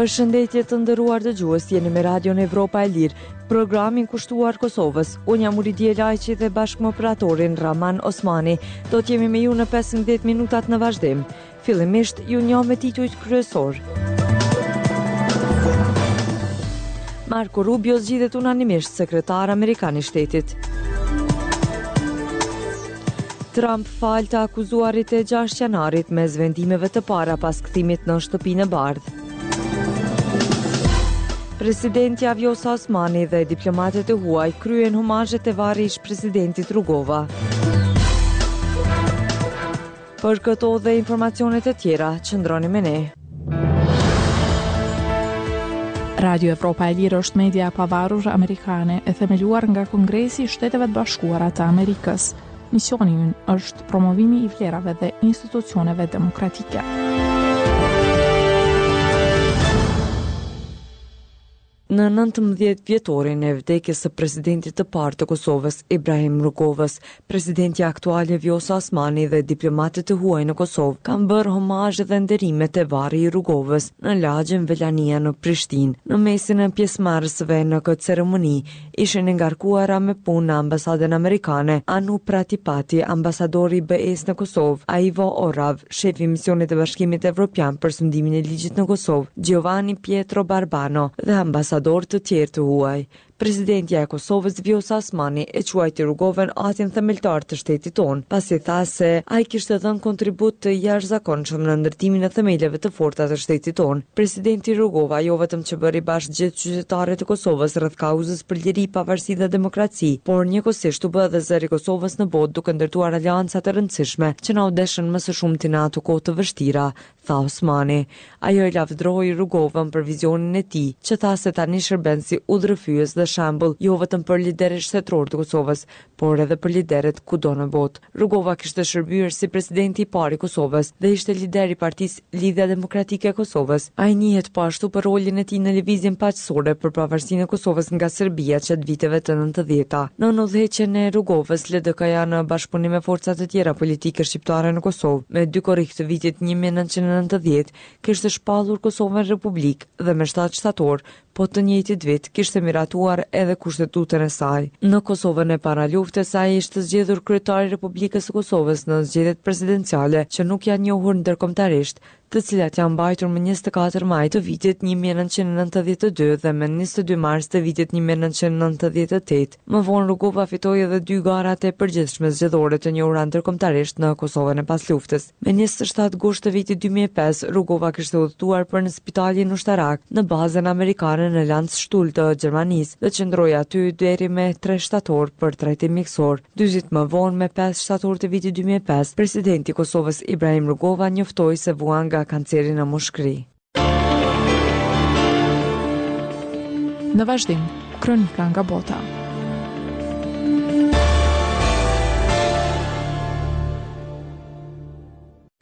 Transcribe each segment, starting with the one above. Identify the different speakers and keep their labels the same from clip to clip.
Speaker 1: Përshëndetje të nderuar dëgjues, jeni me Radion Evropa e Lirë, programin kushtuar Kosovës. Unë jam Uridije Lajçi dhe bashkë me operatorin Raman Osmani. Do të jemi me ju në 15 minutat në vazhdim. Fillimisht, ju njoh me titujt kryesorë. Marco Rubio zgjidhet unanimisht sekretar amerikan i shtetit. Trump fal të akuzuarit e 6 janarit mes vendimeve të para pas kthimit në Shtëpinë e Bardhë. Presidentja Vjosa Osmani dhe diplomatët e huaj kryen homazhe te varri i ish-presidentit Rugova. Për këto dhe informacione të tjera, qëndroni me ne.
Speaker 2: Radio Evropa e Lirë është media e pavarur amerikane e themeluar nga Kongresi i Shteteve të Bashkuara të Amerikës. Misioni ynë është promovimi i vlerave dhe institucioneve demokratike.
Speaker 1: Në 19 vjetorin e vdekjes së presidentit të parë të Kosovës, Ibrahim Rugovës, presidentja aktuale Vjosa Osmani dhe diplomatët e huaj në Kosovë kanë bërë homazhe dhe nderime te varri i Rugovës në lagjen Velania në Prishtinë. Në mesin e pjesëmarrësve në këtë ceremoni ishin e ngarkuara me punë në ambasadën amerikane, Anu Prattipati, ambasadori i BE-së në Kosovë, Aivo Orav, shefi i misionit të Bashkimit Evropian për sundimin e ligjit në Kosovë, Giovanni Pietro Barbano dhe ambasadorë të tjerë të huaj. Presidentja e Kosovës, Vjosa Osmani, e quajti Rugovën atin themeltar të shtetit tonë, pasi tha se ai kishte dhënë kontribut të jashtëzakonshëm në ndërtimin e themeleve të forta të shtetit tonë. Presidenti Rugova jo vetëm që bëri bashkë gjithë qytetarët e Kosovës rreth kauzës për liri, pavarësi dhe demokraci, por njëkohësisht u bë edhe zëri i Kosovës në botë duke ndërtuar aleanca të rëndësishme që na u deshën më së shumti në ato kohë të vështira, tha Osmani. Ajo e lavdëroi Rugovën për vizionin e tij, që tha se tani shërben si udhërrëfyes dhe shembull jo vetëm për liderët shtetërorë të Kosovës, por edhe për liderët kudo në botë. Rugova kishte shërbyer si presidenti i parë i Kosovës dhe ishte lider i partisë Lidhja Demokratike e Kosovës. Ai njihet po ashtu për rolin e tij në lëvizjen paqësore për pavarësinë e Kosovës nga Serbia gjatë viteve të nëntëdhjeta. Nën udhëheqjen e Rugovës, LDK-ja në bashkëpunim me forca të tjera politike shqiptare në Kosovë, me 2 korrik të vitit 1990 kishte shpallur Kosovën Republikë dhe me 7 shtator po të njëjtit vit kishte miratuar edhe Kushtetutën e saj. Në Kosovën e paraluftës ai ishte zgjedhur kryetar i Republikës së Kosovës në zgjedhjet presidenciale që nuk janë njohur ndërkombëtarisht, të cilat janë mbajtur më 24 maj të vitit 1992 dhe më 22 mars të vitit 1998. Më vonë Rugova fitoi edhe dy garat e përgjithshme zgjedhore të njohura ndërkombëtarisht në Kosovën e pasluftës. Me 27 gusht të vitit 2005, Rugova kishte udhëtuar për në spitalin ushtarak në bazën amerikane në Landstuhl të Gjermanisë dhe qëndroi aty deri me 3 shtator për trajtim mjekësor. Dy ditë më vonë, me 5 shtator të vitit 2005, presidenti i Kosovës Ibrahim Rugova njoftoi se vuan nga kanceri në mushkëri.
Speaker 2: Në vazhdim, kronika nga bota.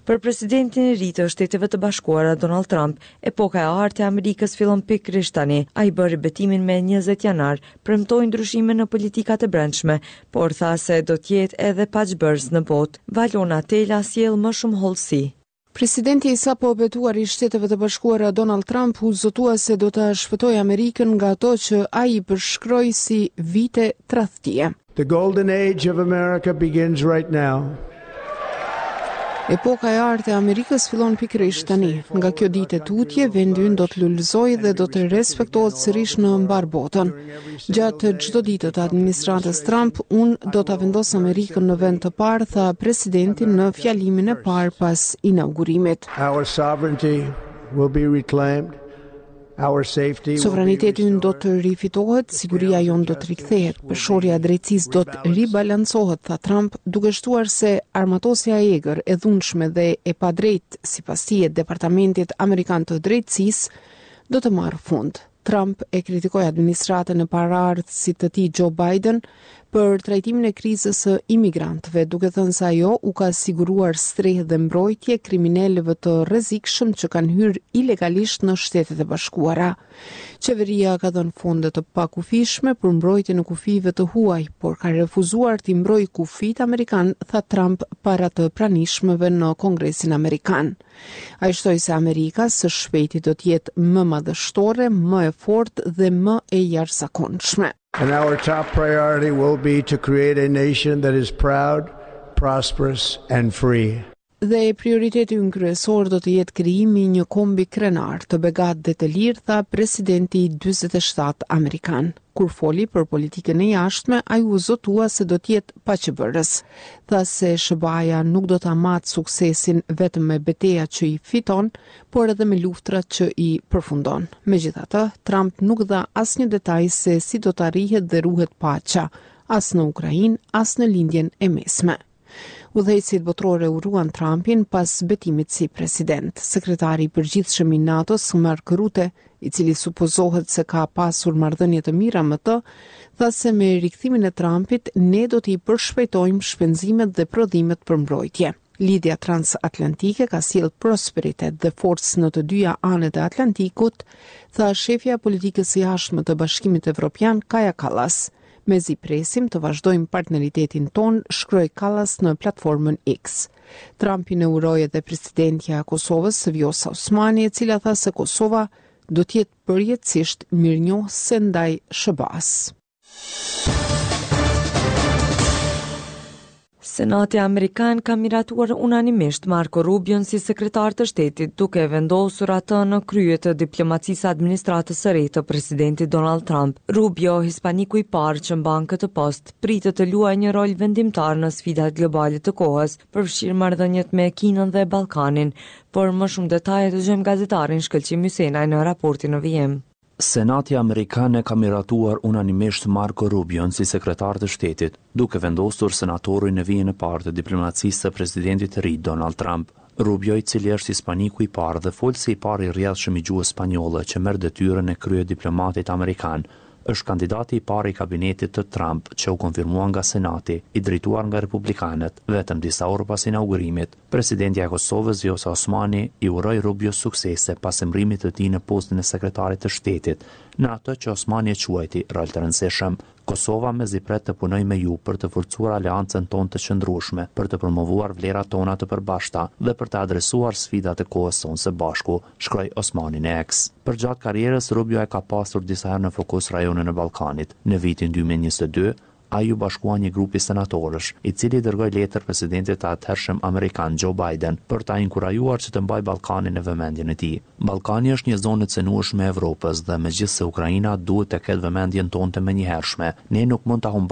Speaker 1: Për presidentin e ri të Shteteve të Bashkuara Donald Trump, epoka e artë e Amerikës fillon pikërisht tani. Ai bëri betimin me 20 janar, premtoi ndryshime në politikat e brendshme, por tha se do të jetë edhe paqebërës në botë. Valona Tela sjell më shumë hollësi.
Speaker 2: Presidenti i sapo betuar i Shteteve të Bashkuara Donald Trump u zotua se do ta shpëtojë Amerikën nga ato që ai i përshkroi si vite tradhtie.
Speaker 3: The golden age of America begins right now.
Speaker 2: Epoka e artë e Amerikës fillon pikërisht tani. Nga kjo ditë e tutje, vendi ynë do të lulëzojë dhe do të respektohet sërish në mbarë botën. Gjatë çdo dite të administratës Trump, unë do ta vendos Amerikën në vend të parë, tha presidenti në fjalimin e parë pas inaugurimit.
Speaker 3: Our sovereignty will be reclaimed.
Speaker 2: Sovraniteti ynë do të rifitohet, siguria jonë do të rikthehet, peshorja e drejtësisë do të ribalancohet, tha Trump, duke shtuar se armatosja e egër, e dhunshme dhe e padrejtë, sipas tij e Departamentit Amerikan të Drejtësisë, do të marrë fund. Trump e kritikoi administratën e paraardhësit të tij Joe Biden. për trajtimin e krizës së imigrantëve, duke thënë se ajo u ka siguruar strehë dhe mbrojtje kriminelëve të rrezikshëm që kanë hyrë ilegalisht në Shtetet e Bashkuara. Qeveria ka dhënë fonde të pakufishme për mbrojtjen e kufijve të huaj, por ka refuzuar t'i mbrojë kufijtë amerikanë, tha Trump para të pranishmëve në Kongresin Amerikan. Ai shtoi se Amerika së shpejti do të jetë më madhështore, më e fortë dhe më e jashtëzakonshme.
Speaker 3: And our top priority will be to create a nation that is proud, prosperous and free.
Speaker 2: Dhe prioriteti ynë kryesor do të jetë krijimi i një kombi krenar, të begatë dhe të lirë, tha presidenti i 47 amerikan. Kur foli për politikën e jashtme, ai u zotua se do të jetë paqebërës. Tha se SHBA-ja nuk do ta matë suksesin vetëm me betejat që i fiton, por edhe me luftrat që i përfundon. Megjithatë, Trump nuk dha asnjë detaj se si do të arrihet dhe ruhet paqja, as në Ukrainë, as në Lindjen e Mesme. Udhëheqësit botërorë e uruan Trumpin pas betimit si president. Sekretari i përgjithshëm i NATO-s, Mark Rutte, i cili supozohet se ka pasur marrëdhënie të mira me të, tha se me rikthimin e Trumpit ne do t'i përshpejtojmë shpenzimet dhe prodhimet për mbrojtje. Lidhja transatlantike ka sjellë prosperitet dhe forcë në të dyja anët e Atlantikut, tha shefja e politikës së jashtme të Bashkimit Evropian, Kaja Kallas. Mezi presim të vazhdojmë partneritetin tonë, shkroi Kallas në platformën X. Trumpin e uroi edhe presidentja e Kosovës, Vjosa Osmani, e cila tha se Kosova do të jetë përjetësisht mirënjohëse ndaj SHBA-së.
Speaker 1: Senati Amerikan ka miratuar unanimisht Marco Rubion si sekretar të shtetit, duke e vendosur atë në krye të diplomacisë së administratës së re të presidentit Donald Trump. Rubio, hispaniku i parë që mban këtë post, pritet të luajë një rol vendimtar në sfidat globale të kohës, përfshirë marrëdhëniet me Kinën dhe Ballkanin. Por më shumë detaje dëgjojmë gazetarin Shkëlqim Hysenaj në raportin në vijim.
Speaker 4: Senati amerikan e ka miratuar unanimisht Marco Rubion si sekretar të shtetit, duke vendosur senatorin në vijën e parë të diplomacisë së presidentit të ri Donald Trump. Rubio, i cili është hispaniku i parë dhe folësi i parë i rrjedhshëm i gjuhës spanjolle që merr detyrën e kryediplomatit amerikan, është kandidati i parë i kabinetit të Trump që u konfirmua nga Senati, i drejtuar nga republikanët, vetëm disa orë pas inaugurimit. Presidentja e Kosovës, Vjosa Osmani, i uroi Rubios suksese pas emërimit të tij në postin e Sekretarit të Shtetit, në atë që Osmani e quajti rol të rëndësishëm. Kosova mezi pret të punojë me ju për të forcuar aleancën tonë të qëndrueshme, për të promovuar vlerat tona të përbashkëta dhe për të adresuar sfidat e kohës sonë së bashku, shkroi Osmani në X. Përgjatë karrierës, Rubio e ka pasur disa herë në fokus rajonin e Ballkanit. Në vitin 2022, Ai iu bashkua një grupi senatorësh, i cili i dërgoi letër presidentit të atëhershëm amerikan Joe Biden për ta inkurajuar që të mbajë Ballkanin në vëmendjen e tij. Ballkani është një zonë e cenueshme e Evropës dhe megjithëse Ukraina duhet të ketë vëmendjen tonë të menjëhershme, ne nuk mund ta humbasim.